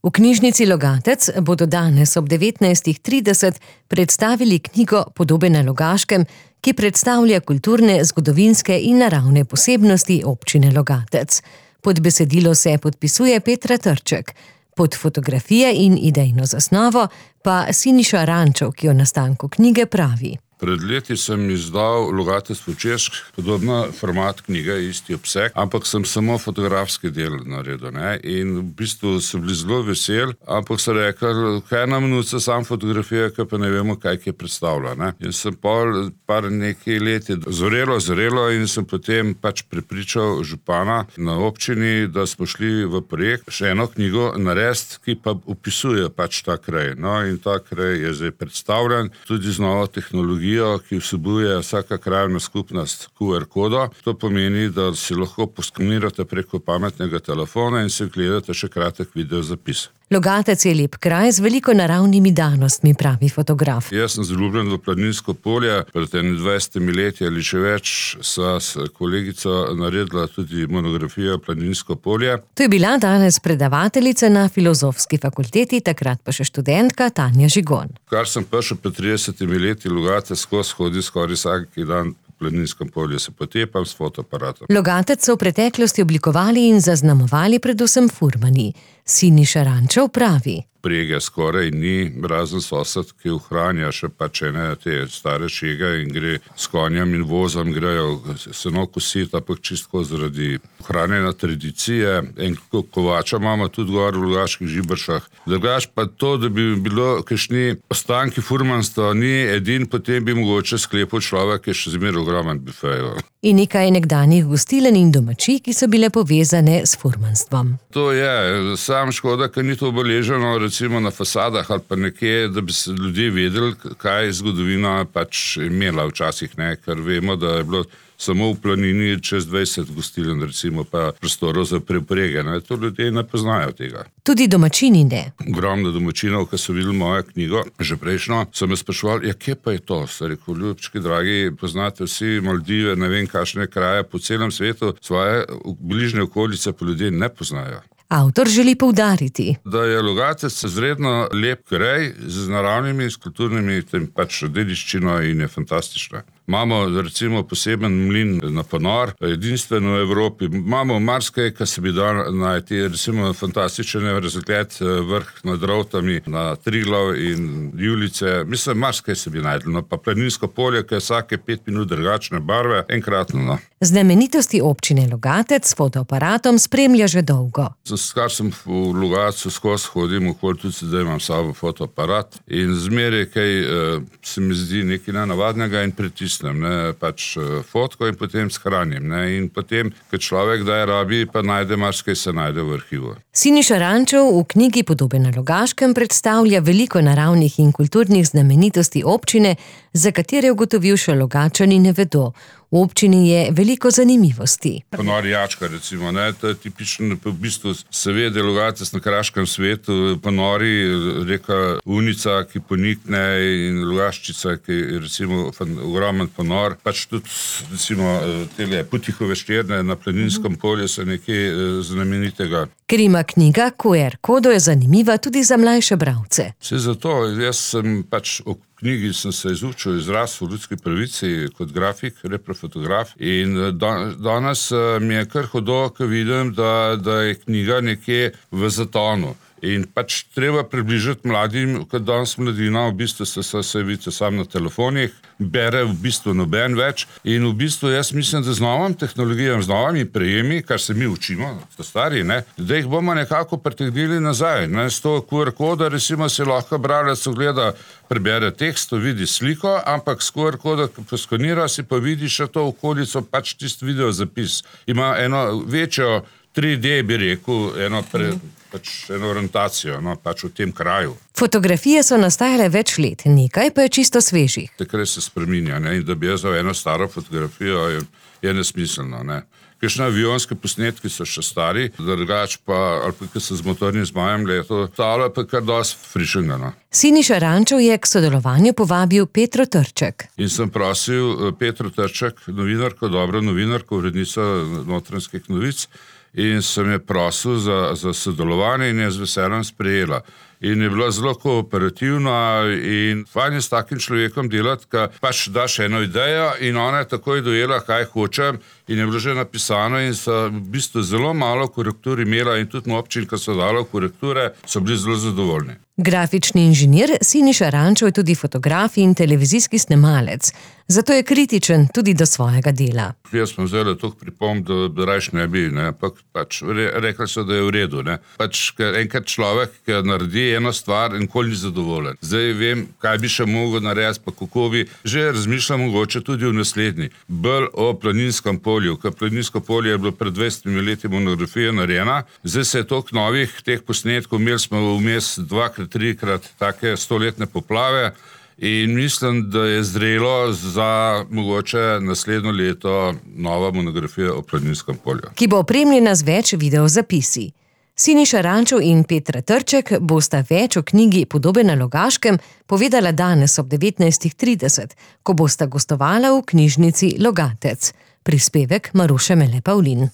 V knjižnici Logatec bodo danes ob 19:30 predstavili knjigo Podobe na Logaškem, ki predstavlja kulturne, zgodovinske in naravne posebnosti občine Logatec. Pod besedilo se podpisuje Petra Trček, pod fotografije in idejno zasnovo pa Siniša Rančov, ki o nastanku knjige pravi. Pred leti sem izdal Logatec po češko, podobno format knjige, isti obseg, ampak sem samo fotografski del naredil. In v bistvu so bili zelo veseli, ampak so rekli, kaj nam nuca sam fotografija, ki pa ne vemo, kaj je predstavlja. In sem par nekaj leti zrelo in sem potem prepričal župana na občini, da smo šli v projekt še eno knjigo narediti, ki pa opisuje ta kraj. In ta kraj je zdaj predstavljen tudi z novo tehnologijo, ki vsebuje vsaka krajevna skupnost QR kodo. To pomeni, da si lahko poskenirate preko pametnega telefona in si gledate še kratek video zapis. Logatec je lep kraj z veliko naravnimi danostmi, pravi fotograf. Jaz sem zaljubljen v planinsko polje. Pred 20 leti ali še več sva s kolegico naredila tudi monografijo Planinsko polje. To je bila danes predavateljica na Filozofski fakulteti, takrat pa še študentka Tanja Žigon. Kar sem prišel pred 30 leti, Logatec hodi skoraj vsak dan v planinskem polju, se potepam s fotoaparatom. Logatec so v preteklosti oblikovali in zaznamovali predvsem furmani. Siniša Rančov pravi. Prege skoraj ni, razen sosed, ki ohranja še ene te stare šege in gre s konjem in vozom, grejo seno kositi, ampak čisto zaradi ohranjanja tradicije. In kovača imamo tudi gor v Logaških Žibršah. Drugač pa to, da bi bilo kakšni ostanki furmanstva, ni edin, potem bi mogoče sklepal človek, ki je še zmeraj ogromen bifejo. In nekaj nekdanjih gostilen in domačij, ki so bile povezane s furmanstvom. To je, sam škoda, ker ni to obeleženo recimo na fasadah ali pa nekje, da bi se ljudje vedeli, kaj je zgodovina imela včasih, ker vemo, da je bilo samo v planini čez 20 gostiln, recimo pa prostorov za preprege. To ljudje ne poznajo tega. Tudi domačini ne. Ogromno domačinov, ki so videli mojo knjigo, že prejšnjo, so me spraševali, kje pa je to? Sem rekel, ljubčki dragi, poznate vsi Maldive, ne vem kakšne kraje po celem svetu, svoje bližnje okolice pa ljudje ne poznajo. Avtor želi poudariti, da je Logatec izredno lep kraj z naravnimi, s kulturnimi dediščino in je fantastična. Imamo recimo poseben mlin na ponor, edinstven v Evropi. Imamo marsikaj, kar se bi dal najti, recimo fantastičen razgled vrh nad Rovtami, na Triglav in Julice. Mislim, marsikaj se bi najdel. Pa planinsko polje, ki je vsake 5 minut drugačne barve, enkratno. Znamenitosti občine Logatec s fotoaparatom spremlja že dolgo. Kar sem v Logatcu skozi hodim, okoli tudi sedaj imam sabo fotoaparat in zmeraj kaj se mi zdi nekaj nenavadnega in pritisnem fotko in potem shranim. In potem, ko človek daj rabi, pa najde marsikaj se najde v arhivu. Siniša Rančov v knjigi Podobe na Logaškem predstavlja veliko naravnih in kulturnih znamenitosti občine, za katere ugotovil še Logatčani ne vedo. V občini je veliko zanimivosti. Ponor Jačka, recimo, to je tipično, v bistvu se ve, da je Logatec na kraškem svetu, ponori, reka Unica, ki ponikne, in Logaščica, ki je recimo ogromen ponor. Tudi, recimo, tele Putihove šterne na Planinskem polju so nekaj znamenitega. Ker ima knjiga QR kodo, je zanimiva tudi za mlajše bralce. Vse zato, jaz sem v knjigi sem se izučil izraz v ljudski pravici kot grafik, reprofotograf in danes mi je kar hudo, ko vidim, da je knjiga nekje v zatonu. In treba približati mladim, ker danes mladina v bistvu se vidite sam na telefonih, bere v bistvu noben več in v bistvu jaz mislim, da z novom tehnologijom, z novimi prejemi, kar se mi učimo, stari, da jih bomo nekako pritegnili nazaj. S to QR kodo, recimo, si lahko bralec ogleda, prebere tekst, vidi sliko, ampak s QR kodo poskanira, si pa vidi še to okolico, tisti video zapis. Ima eno večjo 3D, bi rekel, eno orientacijo, v tem kraju. Fotografije so nastajale več let, nekaj pa je čisto svežih. Takrat se spreminja, in da bi jaz za eno staro fotografijo je nesmiselno. Kakšne avionske posnetki so še stari, drugač pa, ali pa, ki so z motornim zmajem leto, tale pa kar dosti frišenga. Siniša Rančov je k sodelovanju povabil Petro Trček. In sem prosil Petro Trček, novinarko, dobro novinarko, urednico Notranjskih novic, in sem je prosil za sodelovanje in je z veseljem sprejela. In je bila zelo kooperativna in fajn je s takim človekom delati, ka pač daš eno idejo in ona je takoj dojela, kaj hočem in je bilo že napisano in so v bistvu zelo malo korektur imela in tudi občin, ki so dalo korekture, so bili zelo zadovoljni. Grafični inženir Siniša Rančov je tudi fotograf in televizijski snemalec, zato je kritičen tudi do svojega dela. Jaz sem vzela toliko pripomb, da rajš ne bi, ampak pač rekli so, da je v redu. Pač enkrat človek, ki naredi eno stvar in nikoli ni zadovoljen. Zdaj vem, kaj bi še mogel narediti, pa kako bi. Že razmišljam mogoče tudi v naslednji. Bolj o planinskem polju, ker planinsko polje je bilo pred 20 leti monografija narejena. Zdaj se je toliko novih teh posnetkov, imeli smo vmes 2-3 take 100-letne poplave in mislim, da je zrelo za mogoče naslednjo leto nova monografija o planinskem polju. Ki bo opremljena z več videozapisi. Siniša Rančov in Petra Trček bosta več o knjigi Podobe na Logaškem povedala danes ob 19:30, ko bosta gostovala v knjižnici Logatec. Prispevek Maruše Mele Pavlin.